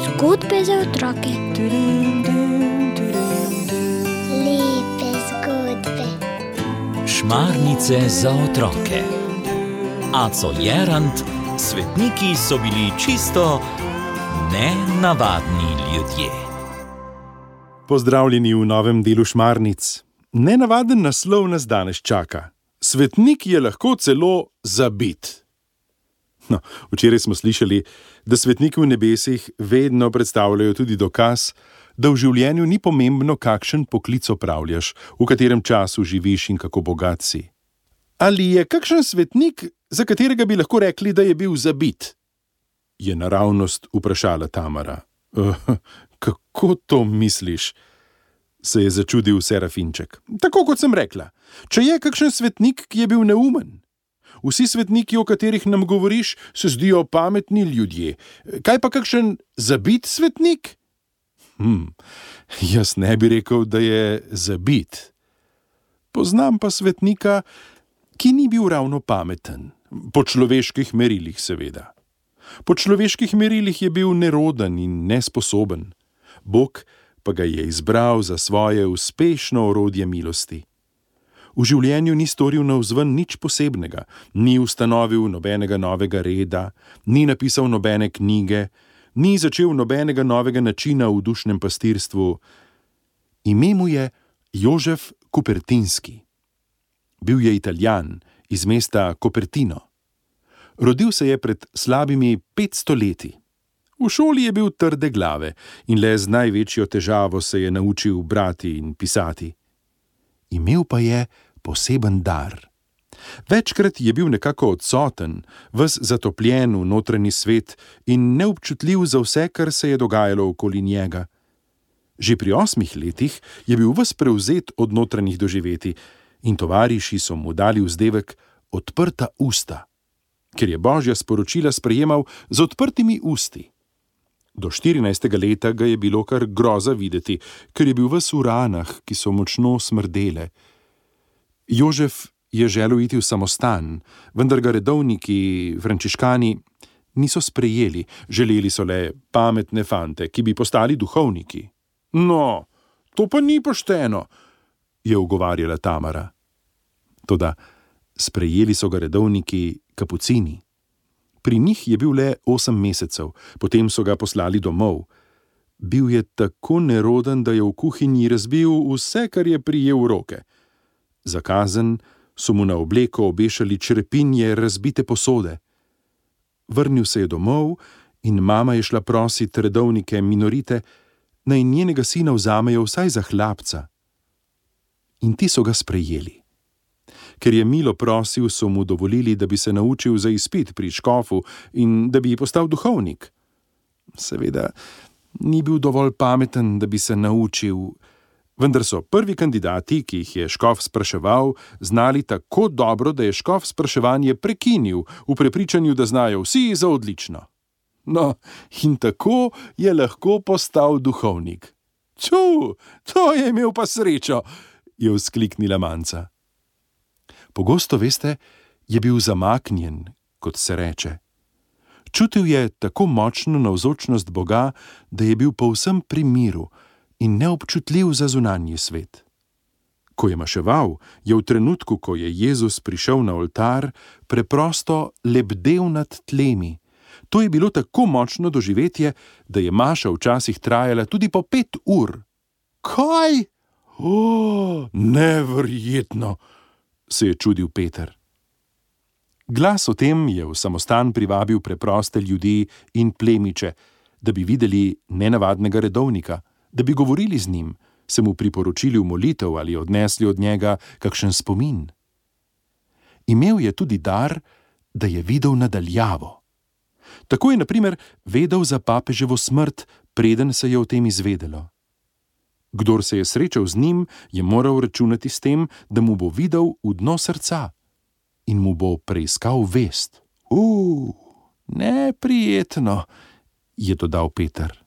Zgodbe za otroke. Lepe zgodbe. Šmarnice za otroke. Aco Jerant, svetniki so bili čisto nenavadni ljudje. Pozdravljeni v novem delu Šmarnic. Nenavaden naslov nas danes čaka. Svetnik je lahko celo zabit. No, včeraj smo slišali, da svetniki v nebesih vedno predstavljajo tudi dokaz, da v življenju ni pomembno, kakšen poklic opravljaš, v katerem času živiš in kako bogat si. Ali je kakšen svetnik, za katerega bi lahko rekli, da je bil zabit? Je naravnost vprašala Tamara. Kako to misliš? Se je začudil Serafinček. Tako kot sem rekla, če je kakšen svetnik, ki je bil neumen. Vsi svetniki, o katerih nam govoriš, se zdijo pametni ljudje. Kaj pa kakšen zabit svetnik? Jaz ne bi rekel, da je zabit. Poznam pa svetnika, ki ni bil ravno pameten. Po človeških merilih, seveda. Po človeških merilih je bil neroden in nesposoben. Bog pa ga je izbral za svoje uspešno orodje milosti. V življenju ni storil navzven nič posebnega, ni ustanovil nobenega novega reda, ni napisal nobene knjige, ni začel nobenega novega načina v dušnem pastirstvu. Ime mu je Jožef Kupertinski. Bil je Italijan iz mesta Copertino. Rodil se je pred slabimi 500 leti. V šoli je bil trde glave in le z največjo težavo se je naučil brati in pisati. Imel pa je poseben dar. Večkrat je bil nekako odsoten, ves zatopljen v notranji svet in neobčutljiv za vse, kar se je dogajalo okoli njega. Že pri 8 letih je bil ves prevzet od notranjih doživetij in tovariši so mu dali vzdevek odprta usta, ker je Božja sporočila sprejemal z odprtimi usti. Do 14. leta ga je bilo kar groza videti, ker je bil ves v ranah, ki so močno smrdele. Jožef je želel iti v samostan, vendar ga redovniki, frančiškani, niso sprejeli, želeli so le pametne fante, ki bi postali duhovniki. No, to pa ni pošteno, je ugovarjala Tamara. Toda sprejeli so ga redovniki kapucini. Pri njih je bil le 8 mesecev, potem so ga poslali domov. Bil je tako neroden, da je v kuhinji razbil vse, kar je prijel v roke. Za kazen so mu na obleko obešali črepinje razbite posode. Vrnil se je domov in mama je šla prosit redovnike minorite, naj njenega sina vzamejo vsaj za hlapca. In ti so ga sprejeli. Ker je milo prosil, so mu dovolili, da bi se naučil za izpit pri škofu in da bi postal duhovnik. Seveda, ni bil dovolj pameten, da bi se naučil, vendar so prvi kandidati, ki jih je škof spraševal, znali tako dobro, da je škof spraševanje prekinil v prepričanju, da znajo vsi za odlično. No, in tako je lahko postal duhovnik. Ču, to je imel pa srečo, je vzkliknila Manca. Pogosto, veste, je bil zamaknjen, kot se reče. Čutil je tako močno navzočnost Boga, da je bil povsem pri miru in neobčutljiv za zunanji svet. Ko je maševal, je v trenutku, ko je Jezus prišel na oltar, preprosto lebdel nad tlemi. To je bilo tako močno doživetje, da je maša včasih trajala tudi po 5 ur. Kaj? Neverjetno, se je čudil Peter. Glas o tem je v samostan privabil preproste ljudi in plemiče, da bi videli nenavadnega redovnika, da bi govorili z njim, se mu priporočili v molitev ali odnesli od njega kakšen spomin. Imel je tudi dar, da je videl nadaljavo. Tako je, na primer, vedel za papeževo smrt, preden se je o tem izvedelo. Kdor se je srečal z njim, je moral računati s tem, da mu bo videl v dno srca in mu bo preiskal vest. Neprijetno, je dodal Peter.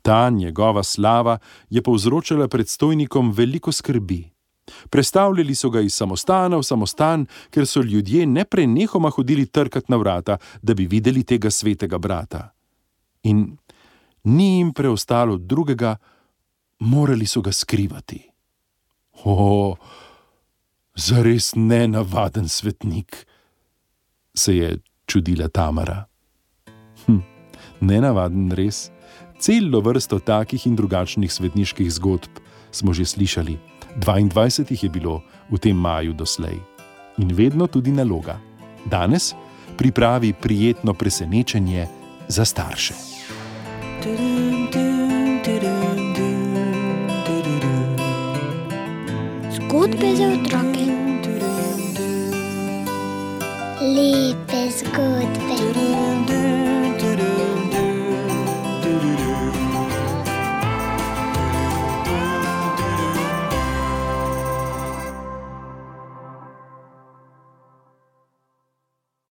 Ta njegova slava je povzročala predstojnikom veliko skrbi. Prestavljali so ga iz samostana v samostan, ker so ljudje neprenehoma hodili trkat na vrata, da bi videli tega svetega brata. In ni jim preostalo drugega, morali so ga skrivati. O, zares nenavaden svetnik, se je čudila Tamara. Nenavaden res. Celo vrsto takih in drugačnih svetniških zgodb smo že slišali. 22 jih je bilo v tem maju doslej. In vedno tudi naloga. Danes pripravi prijetno presenečenje za starše. Zgodbe za otroke. Lepe zgodbe.